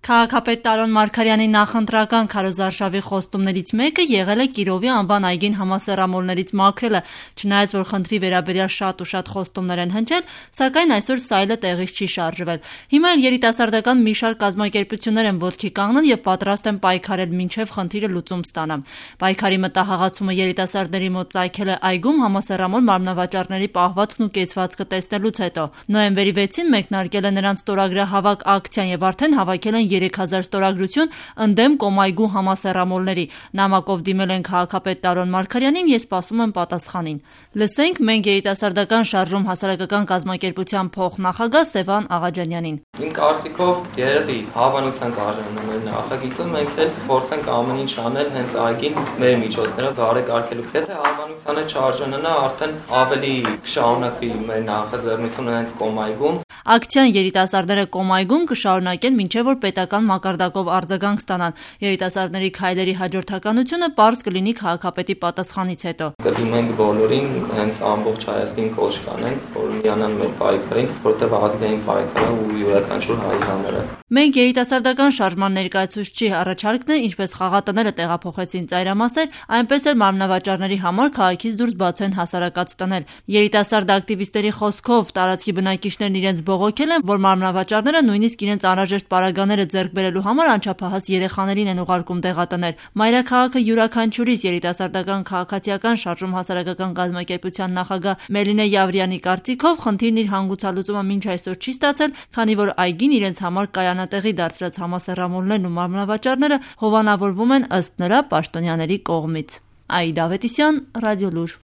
Քաղաքապետ Տարոն Մարգարյանի նախընտրական քարոզարշավի խոստումներից մեկը եղել է Կիրովի անվան այգին համասեռամոլներից մաքրելը, չնայած որ խնդրի վերաբերյալ շատ ու շատ խոստումներ են հնչել, սակայն այսօր սայլը տեղից չի շարժվել։ Հիմա էլ երիտասարդական մի շարք կազմակերպություններ են ոտքի կանգնել եւ պատրաստ են պայքարել մինչեւ խնդիրը լուծում ստանա։ Պայքարի մտահղացումը երիտասարդների մոտ ծագել է այգում համասեռամոլ մարմնավաճառների պահվածքն ու կեցվածքը տեսնելուց հետո։ Նոյեմբերի 6-ին մեկնարկել է նրանց ստորագրահավաք ակցիան եւ արդեն հավաքել են 3000 ստորագրություն ընդդեմ Կոմայգու համասեռամոլների։ Նամակով դիմել են քաղաքապետ Տարոն Մարգարյանին եւ սպասում են պատասխանին։ Լսենք մենք երիտասարդական շարժում հասարակական կազմակերպության փոխնախագահ Սևան Աղաջանյանին։ Իմ կարծիքով երևի հավանության կարժանանում է նախագիծը, մենք էլ փորձենք ամեն ինչ անել հենց այգին մեր միջոցներով բարեկարգելու։ Եթե հավանությանը չարժանանա, արդեն ավելի կշարունակվի մեր նախաձեռնությունը հենց Կոմայգում։ Ակցիան երիտասարդները Կոմայգում կշարունակեն մինչև որ պետական մակարդակով արձագանք ստանան։ Երիտասարդների քայլերի հաջորդականությունը պարզ կլինի քաղաքապետի պատասխանից հետո։ Կդիմենք բոլորին, հենց ամբողջ Հայաստանին կոչ կանենք, որ միանան մեր պայքարին, որտեղ ազգային պայքարը ու յուրաքանչյուր հայի համար է։ Մենք երիտասարդական շարժման ներկայացուցչի առաջարկն է, ինչպես խաղատները տեղափոխեցին ծայրամասեր, այնպես էլ մարմնավաճառների համար քաղաքից դուրս բացեն հասարակած տներ։ Երիտասարդ ակտիվիստների խոսքով տարածքի բնակիչներն իրենց բողոքել են, որ մարմնավաճառները նույնիսկ իրենց անհրաժեշտ պարագաները ձեռք բերելու համար անչափահաս երեխաներին են ուղարկում տեղատներ։ Մայրաքաղաքը յուրաքանչյուրիս երիտասարդական քաղաքացիական շարժում հասարակական կազմակերպության նախագահ Մելինե Յավրյանի կարծիքով խնդիրն իր հանգուցալուծումը մինչ այսօր չի ստացել, քանի որ այգին իրենց համար կայանատեղի դարձրած համասեռամոլներն ու մարմնավաճառները հովանավորվում են ըստ նրա պաշտոնյաների կողմից։ Աիդա Ավետիսյան, Ռադիոլուր։